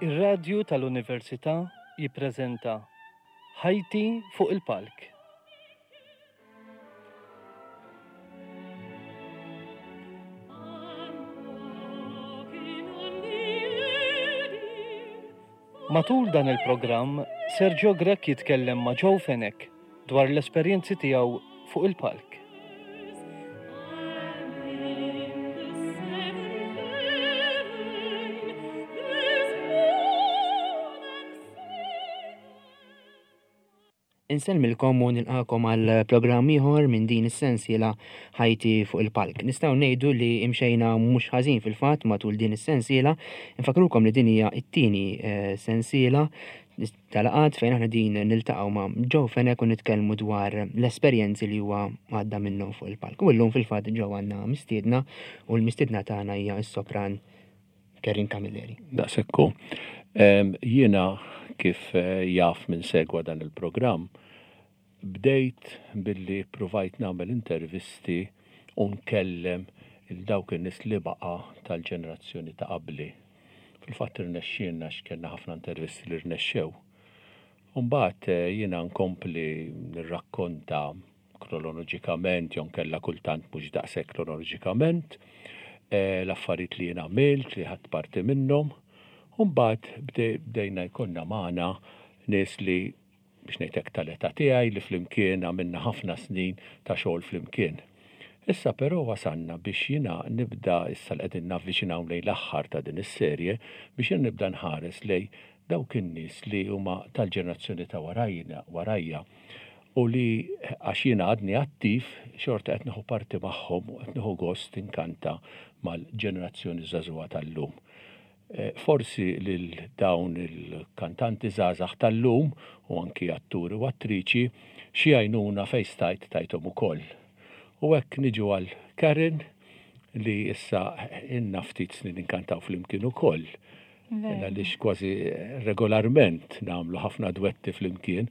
Ir-Radju tal-Università jippreżenta Ħajti fuq il-Palk. Matul dan il-programm, Sergio Grech jitkellem ma' Joe Fenech dwar l-esperjenzi tiegħu fuq il-palk. Insellmilkom u nilqakom għal programm ieħor minn din is-sensiela Ħajti fuq il-palk. Nistgħu ngħidu li imxejna mhux ħażin fil-fatt matul din is-sensiela. Infakrukom li din hija t-tieni eh, sensiela tal-laqgħat fejn aħna din niltaqgħu ma' Joe Fenech u nitkellmu dwar l-esperjenzi li huwa għadda minnhom fuq il-palk. U llum fil-fatt Joe għandna mistiedna u l-mistiedna tagħna hija s-sopran Kerin Camilleri. Daqshekk hu. Jiena kif eh, jaf minn segwa dan il-programm, bdejt billi ppruvajt nagħmel intervisti u nkellem il dawk in-nies li baqa' tal-ġenerazzjoni ta' qabli. Fil-fatt irnexxielna għax kellna ħafna intervisti li rnexxew. U mbagħad eh, jiena nkompli nirrakkonta kronoloġikament jew nkella kultant mhux daqshekk kronoloġikament eh, l-affarijiet li jien għamilt li ħadt parti minnhom. U mbagħad bdejna jkollna magħna nies li biex ngħid hekk tal-età tiegħi li flimkien għamilna ħafna snin ta' xogħol flimkien. Issa però wasalna biex jiena nibda issa li qegħdin navviċinaw lejn l-aħħar ta' din is-serje biex jiena nibda nħares lejn dawk in-nies li huma tal-ġenerazzjoni ta' warajna warajja u li għax jiena għadni attiv xorta qed nieħu parti magħhom u qed nieħu gost inkanta mal-ġenerazzjoni żagħżugħa tal-lum. Eh, forsi lil dawn il-kantanti żgħażagħ tal-lum u anki atturi u attriċi xi għajnuna fejn stajt tajthom ukoll. U hekk niġu għal Karen li issa inna ftit snin inkantaw flimkien ukoll. Għaliex kważi regolarment nagħmlu ħafna dwetti flimkien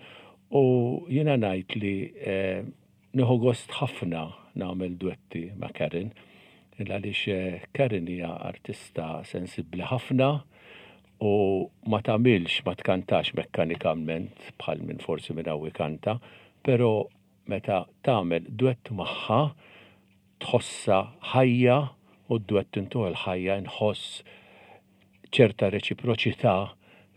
u jiena ngħid li eh, Nieħu gost ħafna nagħmel dwetti ma' Karen, għaliex Karen hija artista sensibbli ħafna u ma tagħmilx, ma tkantax mekkanikalment bħal min forsi minn hawn ikanta, però meta tagħmel dwett magħha tħossha ħajja u d-dwett intuh il-ħajja inħoss ċerta reċiproċità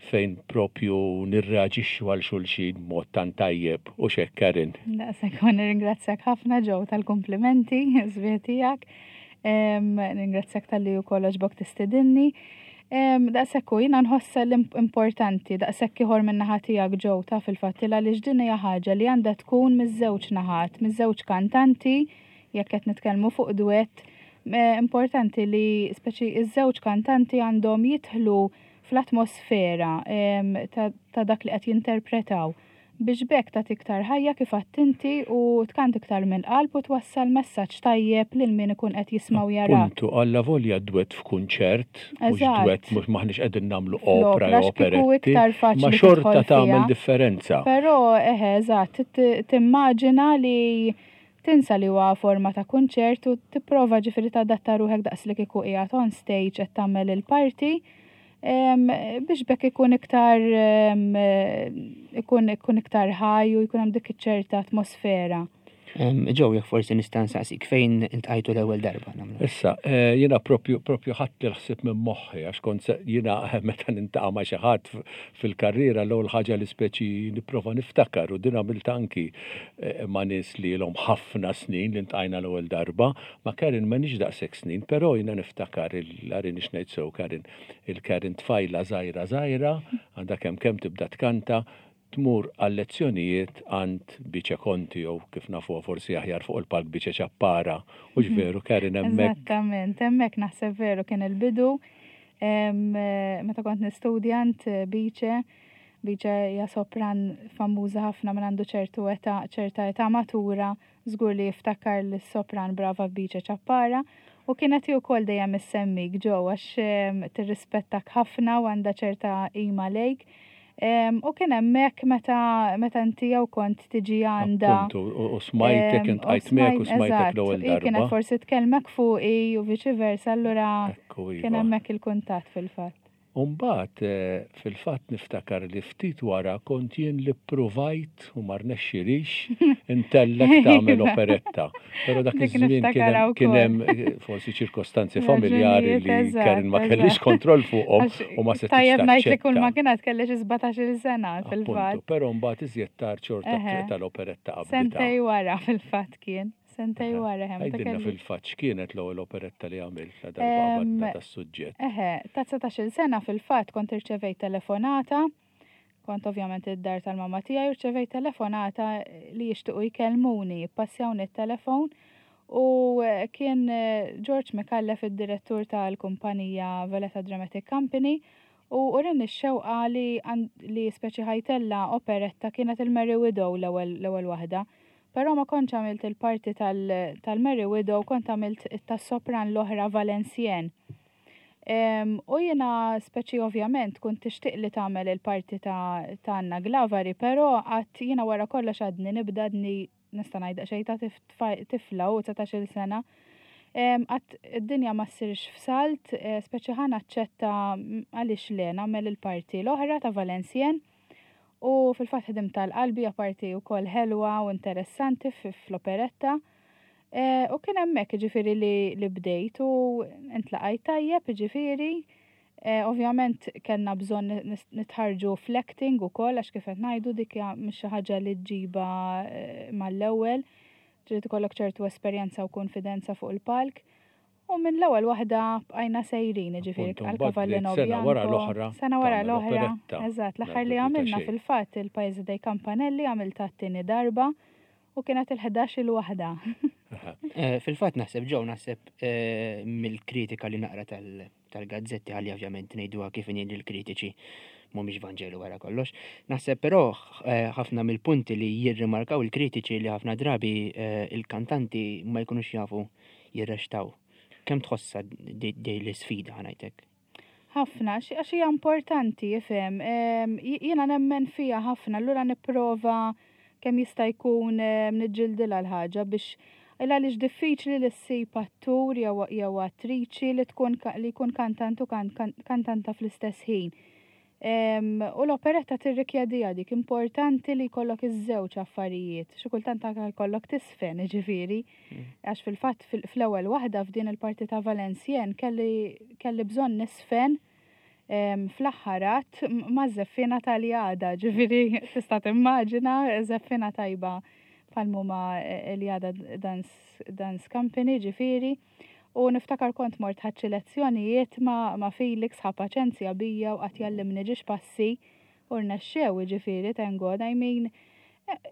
fejn propju nirreaġixxu għal xulxin b'mod tant tajjeb, hux hekk Karen? Daqshekk u nirringrazzjak ħafna Joe tal-kumplimenti sbieħ tiegħek. Nirringrazzjak talli wkoll għoġbok tistidinni. Daqshekk u jiena nħossha l-importanti daqshekk ieħor min-naħa tiegħek Joe taf il-fatt il għaliex din hija ħaġa li għandha tkun miż-żewġ naħat, miż-żewġ kantanti jekk qed nitkellmu fuq duett, importanti li speċi iż-żewġ kantanti għandhom jidħlu fl-atmosfera ta' dak li qed jinterpretaw biex b'hekk tagħti iktar ħajja kif għedt inti u tkanta iktar mill-qalb u twassal messaġġ tajjeb lil min ikun qed jisma' u jarak. Appuntu, allavolja dwett f'kunċert, mhux dwett mhux m'aħniex qegħdin nagħmlu opra jew operetti, ma xorta tagħmel differenza. Però eħe, eżatt, timmaġina li Tinsa li huwa forma ta' kunċert u tipprova ġifieri tadatta ruħek daqs li kieku qiegħed on stage qed tagħmel il-parti biex bekk ikun iktar ikun ikun iktar ħaj u jkun hemm dik iċ-ċerta atmosfera. Joe, jekk forsi nista' nsaqsik fejn iltqajtu l-ewwel darba nagħmlu. Issa, eh, jiena propju propju ħadt il-ħsieb minn moħħi għax kont jiena meta nintaqa' ma' xi ħadd fil-karriera l-ewwel ħaġa li speċi nipprova niftakar u din għamilt anki eh, ma' nies li ilhom ħafna snin li ntqajna l-ewwel darba, ma' Karen m'għandix daqshekk snin, però jiena niftakar il-għarin ngħid sew Karen, il-Karen tfajla żgħira żgħira, għandha kemm kemm tibda tkanta, tmur għal-lezzjonijiet għand Bice Conti jew kif nafuha forsi aħjar fuq il-palk Bice Ċappara. Hux veru Karen hemmhekk? Eżattament, hemmhekk naħseb veru kien il-bidu. Meta kont nistudja għand Bice, Bice hija sopran famuża ħafna minn għandu ċertu età, ċerta età matura, żgur li jiftakar lis-sopran brava Bice Ċappara u kienet hi wkoll dejjem issemmik Joe għax tirrispettak ħafna u għandha ċerta qima lejk. U kien hemmhekk meta meta inti jew kont tiġi għandha. Appuntu, u smajtek, intqajt miegħek u smajtek l-ewwel darba. Kienet forsi tkellmek fuqi u viċi versa, allura kien iva. hemmhekk il-kuntatt fil-fatt. U mbagħad fil-fatt niftakar li ftit wara kont jien li ppruvajt u ma rnexxilix intellek tagħmel operetta. Però dak iż-żmien kien hemm eh, forsi ċirkostanzi familjari li Karen ma kellix kontroll fuqhom u ma setgħetx. Tajjeb ngħid li kull ma kienet kellix 17-il sena fil-fatt. Però mbagħad iżjed tard xorta tal-operetta qabel. Sentej wara fil-fatt kien. Sentej wara hemm. Għidilna fil-fatt x'kienet l-ewwel operetta li għamilt la darba qabadna tas-suġġett. Eħe, ta' 19-il sena fil-fatt kont irċevejt telefonata, kont ovvjament id-dar tal-mamma tiegħi rċevejt telefonata li jixtiequ jkellmuni, jippassjawni t-telefon u kien George Micallef id-direttur tal-kumpanija Valletta Dramatic Company u urini x-xewqa li li speċi ħajtella operetta kienet il-Merry Widow l-ewwel waħda. Però ma kontx għamilt il-parti tal-Merry Widow, kont għamilt tas-sopran l-oħra Valenciennes. U jiena speċi ovvjament kont tixtieq li tagħmel il-parti ta' Anna Glavari, però għad jiena wara kollox għadni nibda għadni nista' ngħid daqsxejn ta' tifla u 19-il sena. Għad id-dinja ma ssirx f'salt, eh, speċi ħa naċċetta għaliex le nagħmel il-parti l-oħra ta' Valenciennes. U fil-fatt ħdimt tal-qalbi apparti wkoll ħelwa u interessanti fl-operetta. E, u kien hemmhekk ġifieri li, li bdejt u intlaqajt tajjeb ġifieri. E, ovvjament kellna bżonn nitħarġu fl-acting ukoll għax kif qed ngħidu dik mhix xi ħaġa li ġġiba e, mal-ewwel. Trid ikollok ċertu esperjenza u konfidenza fuq il-palk. U minn l-ewwel waħda bqajna sejrin, jiġifieri għal Cavallino Sena wara l-oħra. Sena wara l-oħra. Eżatt, l-aħħar li għamilna fil-fatt il-Paese dei Campanelli għamilta t-tieni darba u kienet il-11 il waħda. Eh, fil-fatt naħseb ġew naħseb eh, mill-kritika li naqra tal-gazzetti għalli ovvjament ngħiduha kif inhi l-kritiċi mhumiex Vanġelu wara kollox. Naħseb però eh, ħafna mill-punti li jirrimarkaw il-kritiċi li ħafna drabi il-kantanti ma jkunux jafu jirrextaw. Kemm tħossha dej l-isfida ħanajtek? Ħafna, għax hija importanti, ifhem. Jiena nemmen fija ħafna, allura nipprova kemm jista' jkun niġġildilha l-ħaġa biex il għaliex diffiċli li ssib attur jew attriċi li tkun li jkun kantant u kantanta fl-istess ħin. U l-operetta tirrikjediha dik importanti li jkollok iż-żewġ affarijiet. Xi kultant anke jkollok tisfen, ġifieri. Mm. Għax fil-fatt fl-ewwel waħda f'din il-parti ta' Valencien kelli kelli bżonn nisfen fl-aħħar att ma' żeffina tal-jada, ġifieri tista' timmaġina żeffina tajba bħal huma l-jada dance, dance company, ġifieri. U niftakar kont mort ħadt xi lezzjonijiet ma' ma' Felix ħa paċenzja bija u qagħad jgħallimni ġiex passi u rnexxew jiġifieri thank God I mean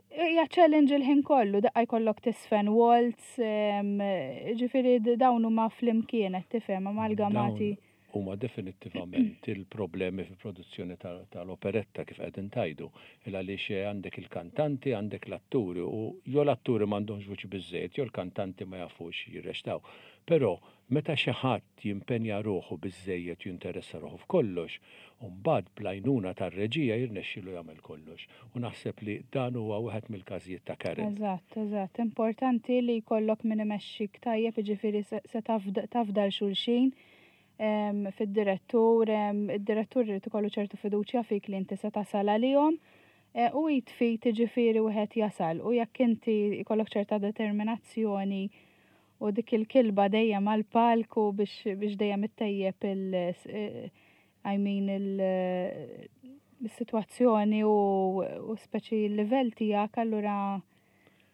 hija challenge il-ħin kollu daqqa jkollok tisfen waltz ġifieri dawn huma flimkien qed tifhem amalgamati. Huma definittivament il-problemi fil-produzzjoni tal-operetta kif qegħdin tgħidu. Il għaliex għandek il-kantanti, għandek l-atturi u jew l-atturi m'għandhomx vuċi biżżejjed jew l-kantanti ma jafux jirreċtaw. Però meta xi ħadd jimpenja ruħu biżżejjed u jinteressa ruħu f'kollox, u mbagħad bl-għajnuna tar-reġija jirnexxilu jagħmel kollox. U naħseb li dan huwa wieħed mill-każijiet ta' Karen. Eżatt, eżatt. Importanti li jkollok min imexxik tajjeb, jiġifieri se tafda 'l xulxin fid-direttur, id-direttur irid ikollu ċertu fiduċja fik li inti se tasal għalihom e, u jitfit jiġifieri wieħed jasal u jekk inti jkollok ċerta determinazzjoni u dik il-kilba dejjem għal palku biex, biex dejjem ittejjeb il e, I mean il-situazzjoni u, u speċi il-livell tiegħek allura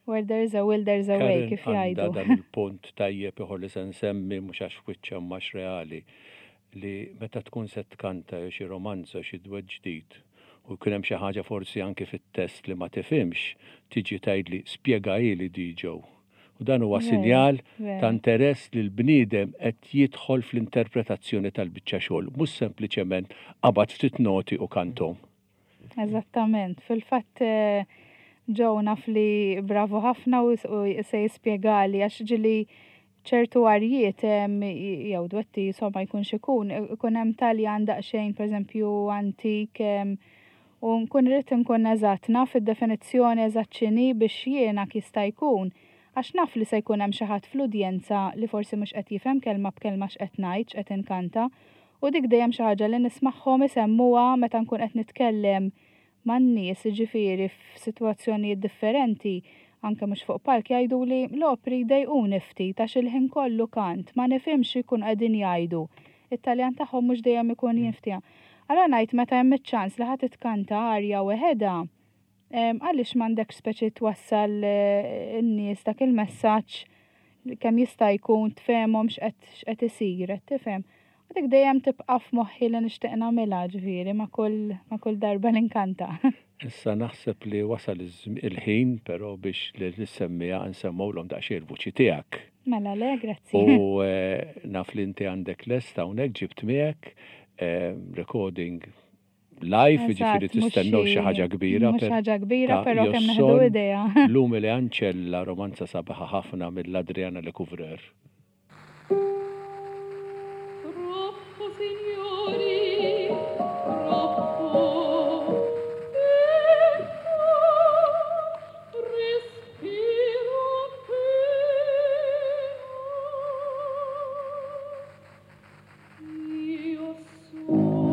where there is a will there's a way kif jgħidu. Dan il-punt tajjeb ieħor li se nsemmi mhux għax wiċċa mhux reali li meta tkun se tkanta jew xi romanza xi dwett ġdid u jkun hemm xi ħaġa forsi anke fit-test li ma tifhimx, tiġi tgħidli spjegahieli di Joe. U dan huwa sinjal ta' interess li l-bniedem qed jidħol fl-interpretazzjoni tal-biċċa xogħol, mhux sempliċement qabad ftit noti u kantom. Eżattament, fil-fatt eh, Joe naf li bravo ħafna u se jispjegali għax ġili ċertu arjiet jew dwetti insomma jkun xikun, ikun hemm Taljan daqsxejn pereżempju antik u nkun irrid nkun eżatt naf id-definizzjoni eżatt x'inhi biex jiena jista' jkun għax naf li se jkun hemm xi ħadd fl-udjenza li forsi mhux qed jifhem kelma b'kelma x'qed ngħid, x'qed inkanta. U dik dejjem xi ħaġa li nismagħhom isemmuha meta nkun qed nitkellem man-nies, jiġifieri f'sitwazzjonijiet differenti, anke mhux fuq palk, jgħiduli l-opri jdejquni ftit għax il-ħin kollu kant, ma nifhimx xi jkunu qegħdin jgħidu. It-Taljan tagħhom mhux dejjem ikun jinftiehem. Allura ngħid meta hemm iċ-ċans li ħa titkanta arja weħedha, għaliex m'għandekx speċi twassal in-nies dak il-messaġġ kemm jista' jkun tfehmhom x'qed isir, qed tifhem? U dik dejjem tibqa' f'moħħi li nixtieq nagħmilha ġifieri ma' kull ma' kull darba li nkanta. Issa naħseb li wasal il-ħin però biex lis-semmiegħa nsemmgħulhom daqsxejn il-vuċi tiegħek. Mela le, grazzi. U naf li inti għandek lest hawnhekk ġibt miegħek recording live, jiġifieri tistennew xi ħaġa kbira. Mhux ħaġa kbira, però kemm neħdu idea. L-Umile Ancella, romanza sabiħa ħafna mill-Adriana Lecouvreur. Troppo, signori, troppo. Ecco, respiro appena. Io sono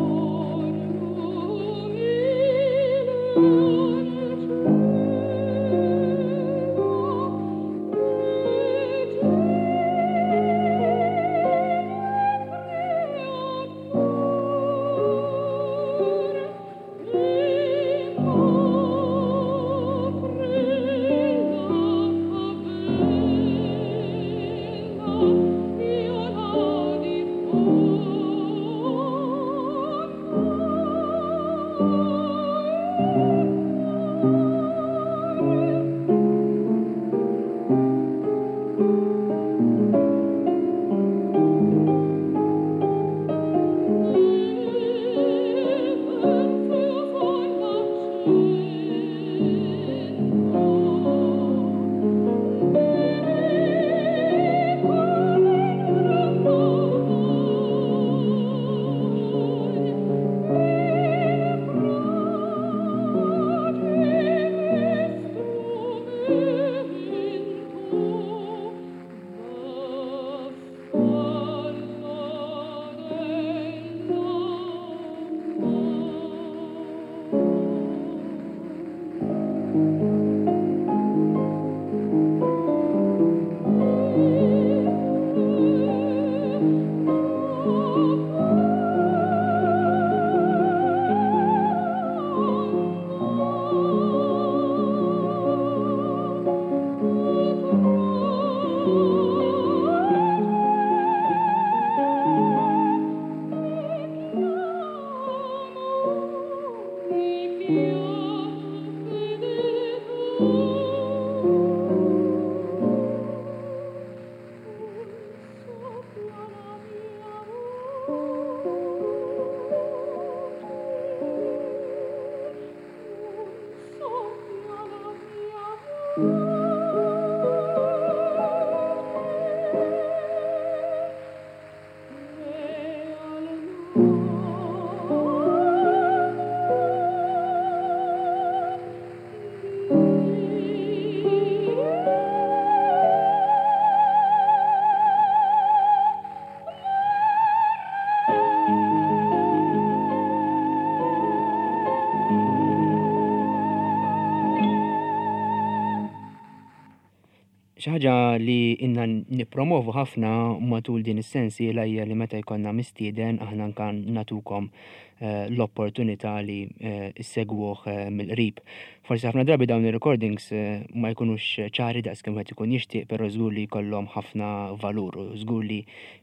Xi ħaġa li inna nippromovu ħafna matul din is-sensiela hija li meta jkollna mistieden aħna anka natukom eh, l-opportunità li eh, issegwuh eh, mill-qrib. Forsi ħafna drabi dawn ir-recordings ma jkunux ċari daqs kemm wieħed ikun jixtieq, però żgur li jkollhom ħafna valur u żgur li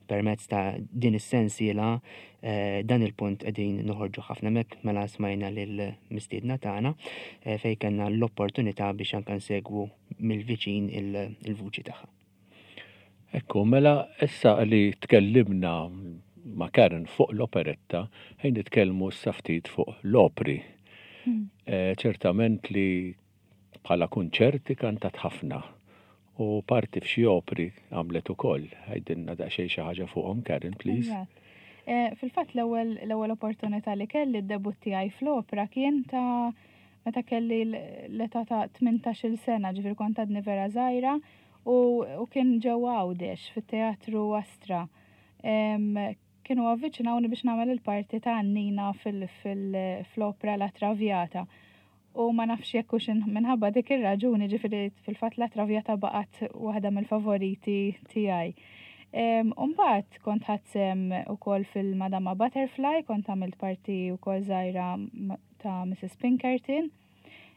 permezz ta' din is-sensiela dan il-punt qegħdin noħorġu ħafna mek mela smajna lill-mistiedna tagħna fejn kellna l-opportunità biex anke nsegwu mill-viċin il-vuċi tagħha. Ekku, mela issa li tkellimna ma' Karen fuq l-operetta, ħejn nitkellmu issa ftit fuq l-opri. Hmm. Eh, ċertament li bħala kunċerti kantat ħafna u parti f'xi opri għamlet ukoll. Għidilna daqsxejn xi ħaġa fuqhom Karen, please. Eh, fil-fatt l-ewwel l-ewwel opportunità li kelli d-debut tiegħi fl-opra kien ta' meta kelli l-età ta' 18-il sena, ġifieri kont għadni vera żgħira u, u kien ġewwa Għawdex fit-Teatru Astra. kienu avviċinawni biex nagħmel il-parti ta' Annina fil-opra La Traviata. U ma nafx jekk hux minħabba dik ir-raġuni ġifieri fil-fatt La Traviata baqgħet waħda mill-favoriti tiegħi. Umbagħad kont ħadt sehem ukoll fil-Madama Butterfly, kont għamilt parti wkoll żgħira ta' Mrs. Pinkerton.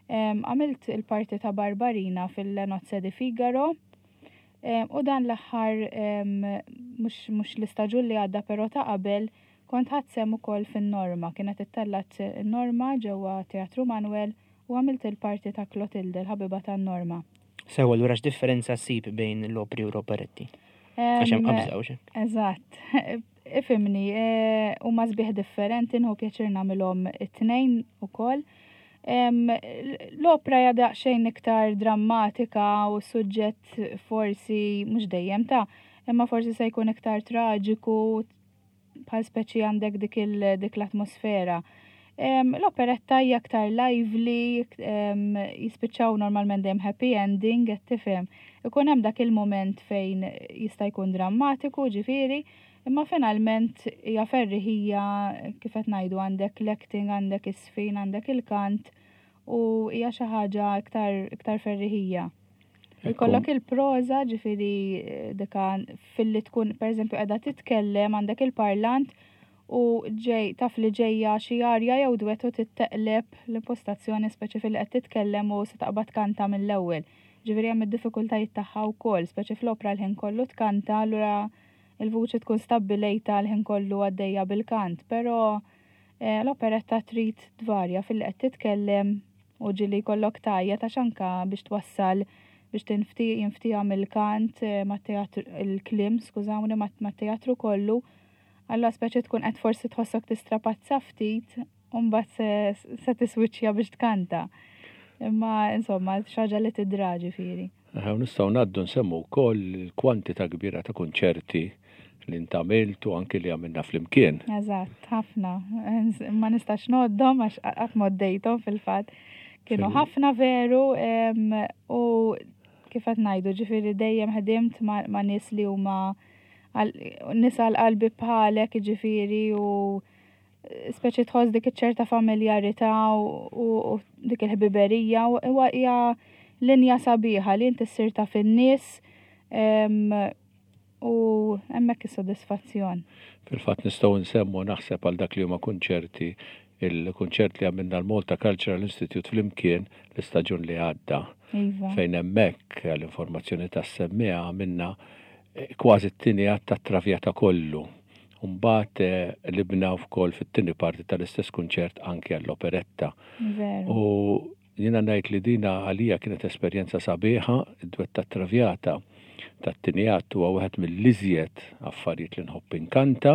Għamilt il-parti ta' Barbarina fil-Le Nozze di Figaro. U dan l-aħħar mhux l-istaġun li għadda però ta' qabel kont ħadt sehem ukoll fin-Norma. Kienet ittellgħet in-Norma ġewwa Teatru Manuel u għamilt il-parti ta' Clotilde, il-ħabiba tan-Norma. Sewwa, allura x'differenza ssib bejn l-opri u l-operetti? Għax hemm qabża u xi. Eżatt. Ifhimni, huma sbieħ differenti, nħu pjaċir nagħmilhom it-tnejn ukoll. L-opra hija daqsxejn iktar drammatika u s-suġġett forsi mhux dejjem ta' imma forsi se jkun iktar traġiku bħal speċi għandek dik dik l-atmosfera. L-operetta hija aktar lively, jispiċċaw normalment dejjem happy ending, qed tifhem. Ikun hemm dak il-mument fejn jista' jkun drammatiku, ġifieri, imma finalment hija ferriħija kif qed ngħidu għandek l-acting, għandek is-sfin, għandek il-kant u hija xi ħaġa iktar, iktar ferriħija. Ikollok il-proża, ġifieri dika filli tkun pereżempju qiegħda titkellem għandek il-parlant u ġej taf li ġejja xi arja jew dwett u titteqleb l-impostazzjoni speċi filli qed titkellem u se taqbad tkanta mill-ewwel. Ġifieri hemm id-diffikultajiet tagħha wkoll, speċi fl-opra l-ħin kollu tkanta allura il-vuċi tkun stabbilejta l-ħin kollu għaddejja bil-kant, però eh, l-operetta trid tvarja filli qed titkellem u ġieli jkollok tgħajjat għax anka biex twassal biex tinfti jinftiha mill-kant eh, mat-teatru il-kliem skużawni mat-teatru kollu Allura speċi tkun qed forsi tħossok tistrapazza ftit u mbagħad se, se tiswiċċja biex tkanta. Imma insomma xi ħaġa li tidra ġifieri. U nistgħu ngħaddu nsemmu wkoll il-kwantità kbira ta' kunċerti li ntgħamilt u anki li għamilna flimkien. Eżatt, ħafna. Ma nistax ngħoddhom għax qatt m'għoddejthom fil-fatt. Kienu ħafna veru u kif qed ngħidu ġifieri dejjem ħdimt ma' nies li huma nies għal qalbi bħalek ġifieri u speċi tħoss dik iċ-ċerta familjarità u dik il-ħbiberija u hija linja sabiħa li inti ssir taf in-nies u hemmhekk is-sodisfazzjon. Fil-fatt nistgħu nsemmu naħseb għal dak li huma kunċerti il-kunċert li għamilna l-Malta Cultural Institute flimkien l-istaġun li għadda. Iva. Fejn hemmhekk għall-informazzjoni tas-semmiegħa għamilna eh, kważi t-tieni att tat-Traviata kollu. Mbagħad eh, libna wkoll fit-tieni parti tal-istess kunċert anke għall-operetta. Veru. U Jiena ngħid li dina għalija kienet esperjenza sabiħa, id-dwett tat-Traviata tat-tieni att huwa wieħed mill-iżjed affarijiet li nħobb inkanta,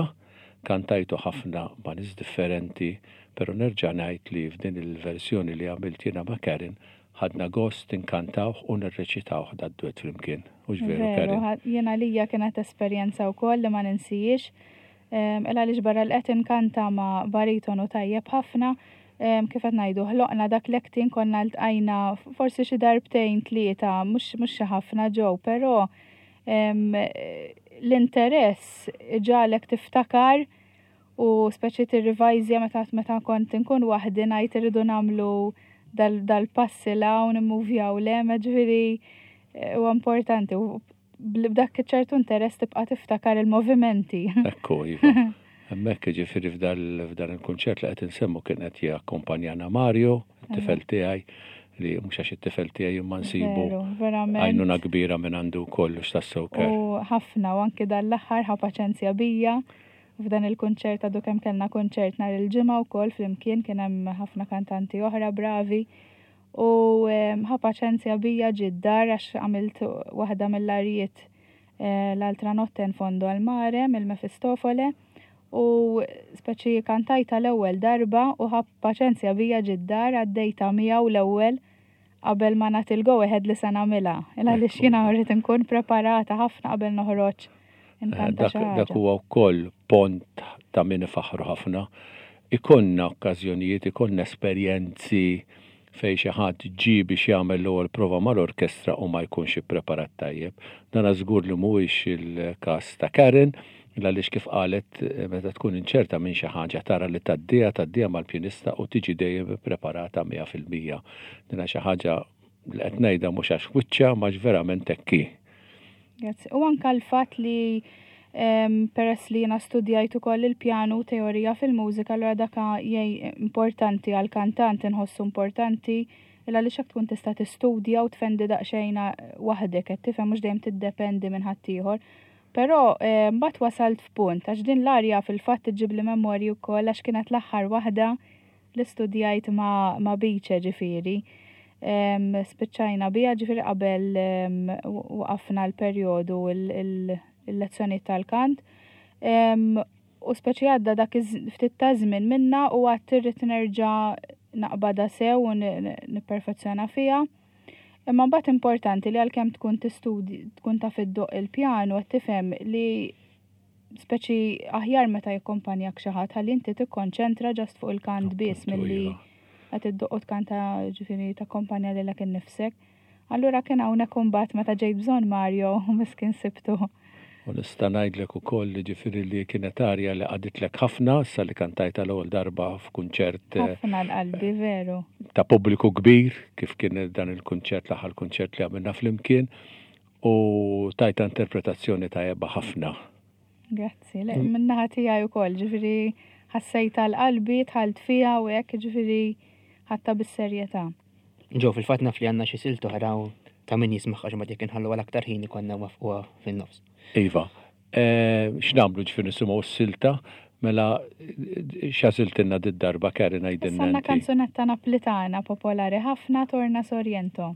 kantajtu ħafna ma' nies differenti, però nerġa' ngħid li f'din il-verżjoni li għamilt jiena ma' Karen ħadna gost inkantawh u nirreċitawh dad-dwett flimkien. Hux veru Karen? Veru, jien għalija kienet esperjenza wkoll li ma ninsihiex. Il għaliex barra li qed inkanta ma' baritonu tajjeb ħafna, kif qed ngħidu, ħloqna dak l-acting konna ltqajna forsi xi darbtejn tlieta, mhux xi ħafna ġew, però l-interess iġagħlek tiftakar u speċi tirrivajżja meta meta kont inkun waħdi ngħid irridu nagħmlu dal-passi 'l hawn, immuvjaw 'l hemm, ġifieri huwa importanti u b'dak ċertu interess tibqa' tiftakar il-movimenti. Ekku, iva. Hemmhekk jiġifieri f'dan il-kunċert li qed insemmu kien qed jakkompanjana Mario, it-tifel tiegħi, li mhux għax it-tifel tiegħi imma nsibu għajnuna kbira minn għandu wkoll u x'tassew ker. U ħafna u anki dan l-aħħar ħa paċenzja bija f'dan il-kunċert għadu kemm kellna kunċert nhar il-Ġimgħa wkoll flimkien kien hemm ħafna kantanti oħra bravi. U ħa paċenzja bija ġie d-dar għax għamilt waħda mill-arijiet eh, l-altra notte in fondo al mare mill-Mefistofole u speċi kantajta l-ewwel darba u ħa paċenzja bija ġie d-dar għaddejta miegħu l-ewwel qabel ma nagħti l-go ahead li se nagħmilha. Il għaliex jiena rrid inkun preparata ħafna qabel noħroġ inkanta xi Dak ħaġa. huwa wkoll pont ta' min ifaħħru ħafna. Ikollna okkażjonijiet, ikollna esperjenzi fejn xi ħadd ġie biex jagħmel l-ewwel prova mal-orkestra u ma jkunx ippreparat tajjeb. Dana żgur li mhuwiex il-każ ta' Karen, Għaliex kif qalet meta tkun inċerta minn xi ħaġa tara li tgħaddiha, tgħaddiha mal-pjanista u tiġi dejjem ippreparata 100%. Din xi ħaġa li qed ngħidha mhux għax wiċċha ma verament hekk hi. Grazzi. U anka l-fatt li peress li jiena studjajt ukoll il-pjanu teorija fil-mużika, allura daka jgħi importanti għal kantant inħossu importanti il għaliex hekk tkun tista' tistudja u tfendi daqsxejn waħdek qed tifhem mhux dejjem tiddependi minn ħaddieħor. Però mbagħad wasalt f'punt għax din l-arja fil-fatt iġġibli memorji wkoll għax kienet l-aħħar waħda li studjajt ma', ma Bice ġifieri. Spiċċajna biha ġifieri qabel waqafna l-perjodu il-lezzjonijiet tal-kant. U speċi għadda dak ftit ta' żmien minna u għad irrid nerġa' naqbadha sew u nipperfezzjona fiha. Imma mbagħad importanti li għalkemm tkun tistudi tkun taf iddoqq il-pjanu qed tifhem li speċi aħjar meta jikkompanjak xi ħadd ħalli inti tikkonċentra ġast fuq il-kant biss milli iva. qed iddoqq u tkanta ġifieri takkompanja lilek innifsek. Allura kien hawnhekk imbagħad meta ġejt bżonn Mario miskin sibtu. U nista' ngħidlek ukoll li ġifieri li kienet arja li qaditlek ħafna issa li kantajtha l-ewwel darba f'kunċert eh, Ħafna l-qalbi veru. Ta' pubbliku kbir kif kien dan il-kunċert l-aħħar kunċert li għamilna flimkien u tajta interpretazzjoni tajba ħafna. Grazzi, le, min-naħa tiegħi wkoll, ġifieri ħassejtha l-qalbi, dħalt fiha u hekk, ġifieri ħadtha bis-serjetà. Ġo, fil-fatt naf li għandna xi silt oħra u ta' min jismagħha xi jekk inħallu għal aktar ħin ikollna wafquha fin-nofs. Iva. Eh, x'nagħmlu ġifieri nisimgħu s-silta? Mela x'għażiltilna did-darba Karen għidilna Issa kanzunetta Naplitana popolari ħafna Torna Sorrento.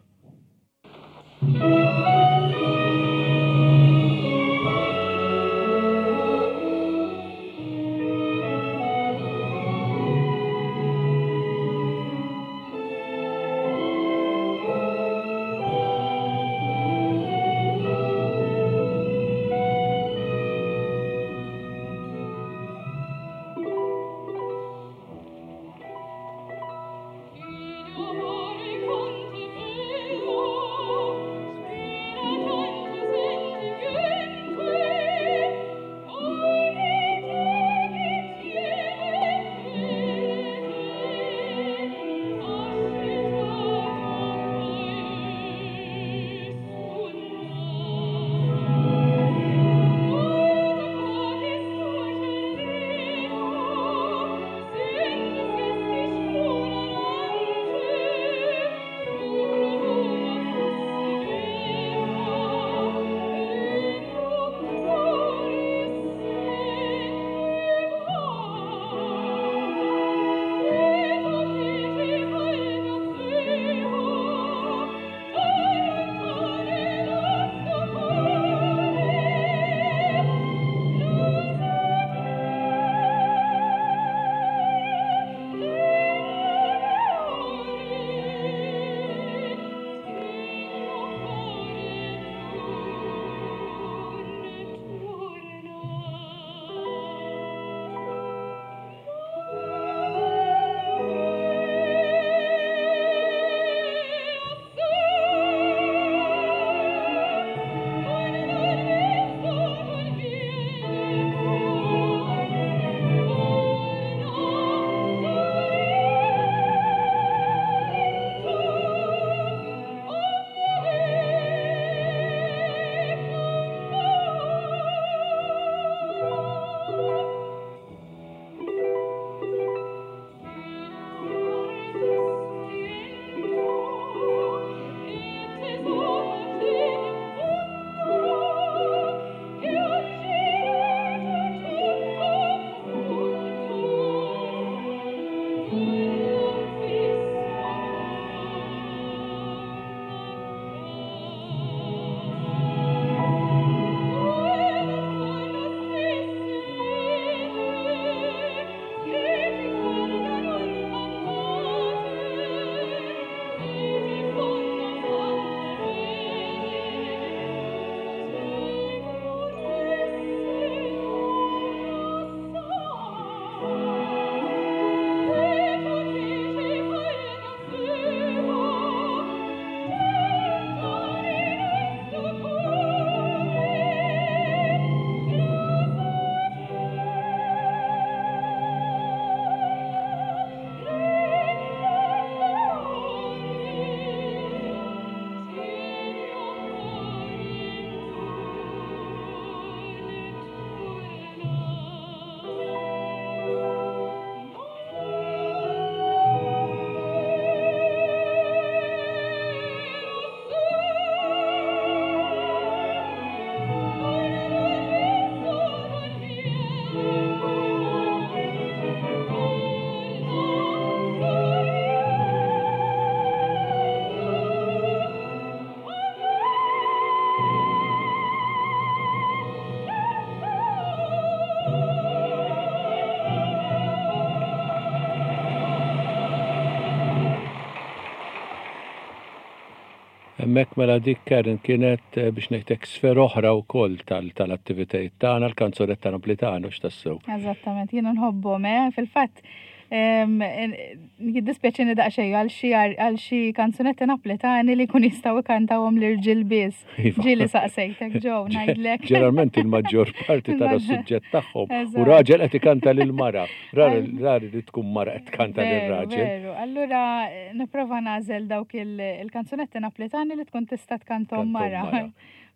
Hemmhekk mela dik Karen kienet eh, biex ngħidlek sfera oħra wkoll tal-attivitajiet tagħna l-kanzunetta Naplitano x'tassew. Eżattament, jiena nħobbhom, eh, fil-fatt jiddispjaċini daqsxejn għal xi għal xi kanzunetti Naplitani li jkun jistgħu jkantawhom l-irġiel biss. Iva. Ġieli saqsejtek ġew ngħidlek. Ġeneralment il-maġġor parti tara s-suġġett tagħhom u raġel qed ikanta lil mara. Rari li tkun mara qed tkanta lil raġel. Veru, allura eh, nipprova nagħżel dawk il-kanzunetti Naplitani li tkun tista' tkantom mara.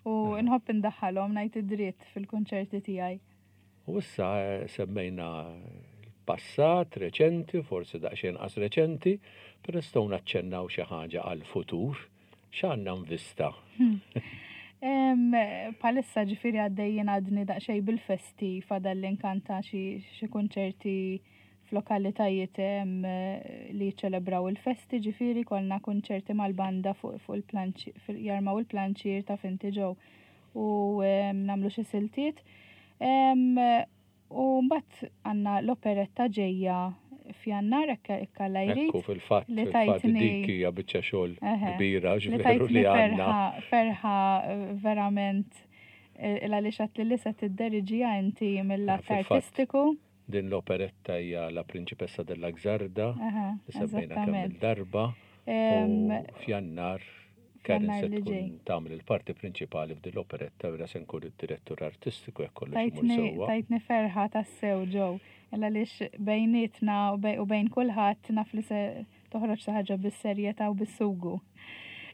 U nħobb indaħħalhom ngħid id-dritt fil-kunċerti tiegħi. U issa eh, semmejna l-passat reċenti, forsi daqsxejn qas reċenti, però nistgħu naċċennaw xi ħaġa għall-futur. X'għandna nvista? Palissa ġifiri għaddejjin għadni daqsxejn bil-festi fadal li nkanta xi kunċerti f'lokalitajiet li jiċċelebraw il-festi ġifiri kolna kunċerti mal-banda fuq il-planċi jarmaw il-planċier ta' finti ġew u nagħmlu xi siltiet. U mbagħad għandna l-operetta ġejja f'Jannar hekk Alla jrid. Ekku fil-fatt li tajtni dik hija biċċa xogħol kbira ġveru li għandna. Ferħa eh, verament eh, għaliex għat li se tidderiġija inti mill-att artistiku. Din l-operetta hija La Principessa della Gżarda, li semmejna kemm il-darba. U f'Jannar Karen se tkun tagħmel il-parti prinċipali f'din l-operetta u se nkun id-direttur artistiku jekk kollox imur sewwa. Tajtni ferħa tassew ġew. Illa għaliex bejnietna u bejn kulħadd naf li se toħroġ xi ħaġa bis-serjetà u bis-sugu.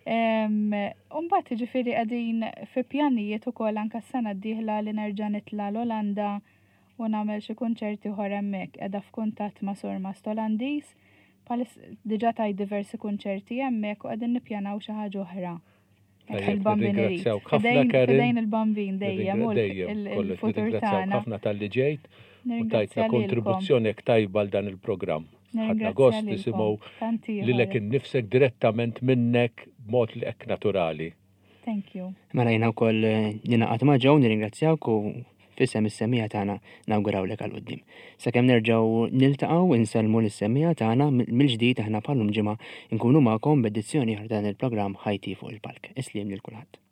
Umbagħad jiġifieri qegħdin fi pjanijiet ukoll anke s-sena d-dieħla li nerġa' nitla' l-Olanda u nagħmel xi kunċerti oħra hemmhekk. Qiegħda f'kuntatt ma' surmast Olandiż Bħalis diġà tajt diversi kunċerti hemmhekk u qegħdin nippjanaw xi ħaġa oħra. Il-bambin Nirringrazzjawk ħafna Karen. Fidejn il-bambin dejjem u il-futur tagħna. ħafna talli ġejt u tajtna kontribuzzjoni hekk tajba għal dan il-programm. Ħadna gost nisimgħu lilek innifsek direttament minnek b'mod li hekk naturali. Thank you. Mela jiena wkoll eh, ninaqat ma' ġew nirringrazzjawk u f'isem is-semija tagħna nawgurawlek għal quddiem. Sakemm nerġgħu niltaqgħu insellmu lis-semija tagħna mill-ġdid aħna bħalum ġimgħa nkunu magħkom b'edizzjoni oħra dan il-programm Ħajti fuq il-palk. Isliem lil kulħadd.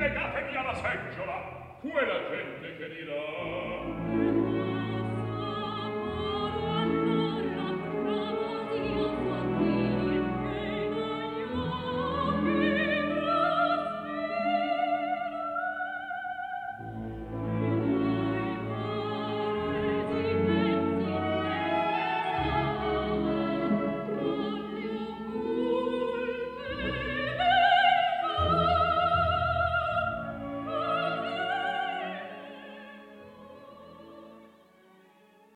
Legatemi alla seggiola, quella gente che dirà.